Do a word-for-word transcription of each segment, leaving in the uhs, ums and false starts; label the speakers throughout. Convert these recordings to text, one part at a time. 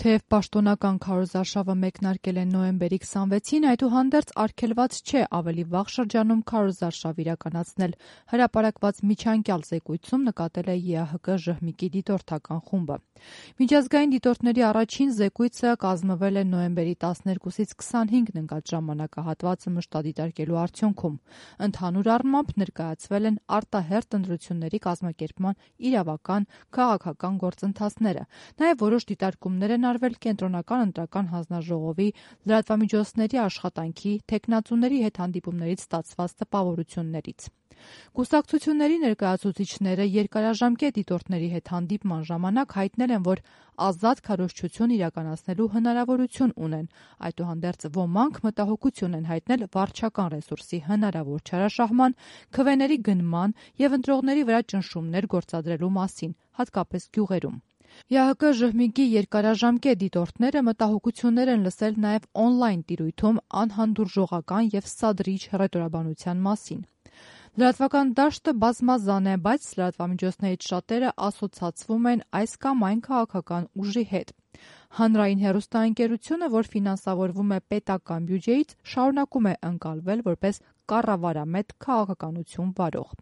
Speaker 1: Թեև պաշտոնական քարոզարշավը մեկնարկել է նոյեմբերի քսանվեցին, այդուհանդերձ արգելված չէ ավելի վաղ շրջանում քարոզարշավ իրականացնել։ Հրապարակված միջանկյալ զեկույցում նկատել է ԵԱՀԿ ԺՀՄԻԿ-ի դիտորդական խումբը։ Միջազգային դիտորդների առաջին զեկույցը կազմվել է նոյեմբերի տասներկուսից քսանհինգն ընկած ժամանակահատվածը մշտադիտարկելու արդյունքում։ Ընդհանուր առմամբ ներկայացվել են արտահերթ ընտրությունների կազմակերպման իրավական, քաղաքական գործընթացները, նաև որոշ դիտարկումներ են արվել Կենտրոնական ընտրական հանձնաժողովի, լրատվամիջոցների աշխատանքի, թեկնածուների հետ հանդիպումներից ստացված տպավորություններից։ Կուսակցությունների ներկայացուցիչները երկարաժամկետ դիտորդների հետ հանդիպման ժամանակ հայտնել են, որ ազատ քարոզչություն իրականացնելու հնարավորություն ունեն, այդուհանդերձ ոմանք մտահոգություն են հայտնել վարչական ռեսուրսի հնարավոր չարաշահման, քվեների գնման և ընտրողների վրա ճնշումներ գործադրելու մասին, հատկապես գյուղերում։ ԵԱՀԿ ԺՀՄԻԿ-ի երկարաժամկետ դիտորդները մտահոգություններ են լսել նաև օնլայն տիրույթում անհանդուրժողական և սադրիչ հռետորաբանության մասին։ Լրատվական դաշտը բազմազան է, բայց լրատվամիջոցներից շատերը ասոցացվում են այս կամ այն քաղաքական ուժի հետ։ Հանրային հեռուստաընկերությունը, որ ֆինանսավորվում է պետական բյուջեից, շարունակում է ընկալվել որպես կառավարամետ քաղաքականություն վարող։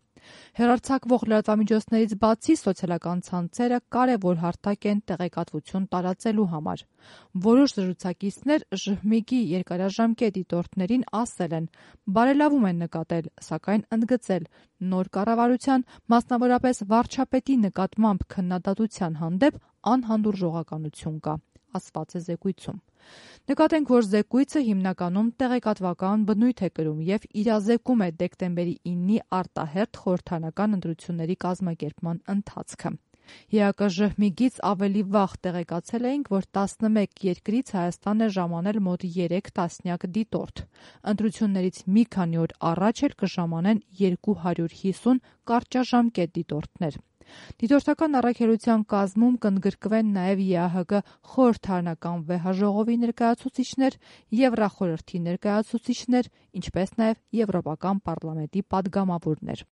Speaker 1: Հեռարձակվող լրատվամիջոցներից բացի սոցիալական ցանցերը կարևոր հարթակ են տեղեկատվություն տարածելու համար։ Որոշ զրուցակիցներ ԺՀՄԻԿ-ի երկարաժամկետ դիտորդներին ասել են, բարելավում են նկատել, սակայն ընդգծել նոր կառավարության, մասնավորապես վարչապետի նկատմամբ քննադատության հանդեպ անհանդուրժողականություն կա, ասված է զեկույցում։ Նկատենք, որ զեկույցը հիմնականում տեղեկատվական բնույթ է կրում և իրազեկում է դեկտեմբերի իննի արտահերթ խորհրդարանական ընտրությունների կազմակերպման ընթացքը։ ԵԱՀԿ ԺՀՄԻԿ-ից ավելի վաղ տեղեկացել էինք, որ տասնմեկ երկրից Հայաստան է ժամանել մոտ երեք տասնյակ դիտորդ։ Ընտրություններից մի քանի օր առաջ էլ կժամանեն երկու հարյուր հիսուն կարճաժամկետ դիտորդներ։ Դիտորդական առաքելության կազմում կընդգրկվեն նաև ԵԱՀԿ խորհրդարանական վեհաժողովի ներկայացուցիչներ, Եվրախորհրդի ներկայացուցիչներ, ինչպես նաև Եվրոպական պարլամենտի պատգամավորներ։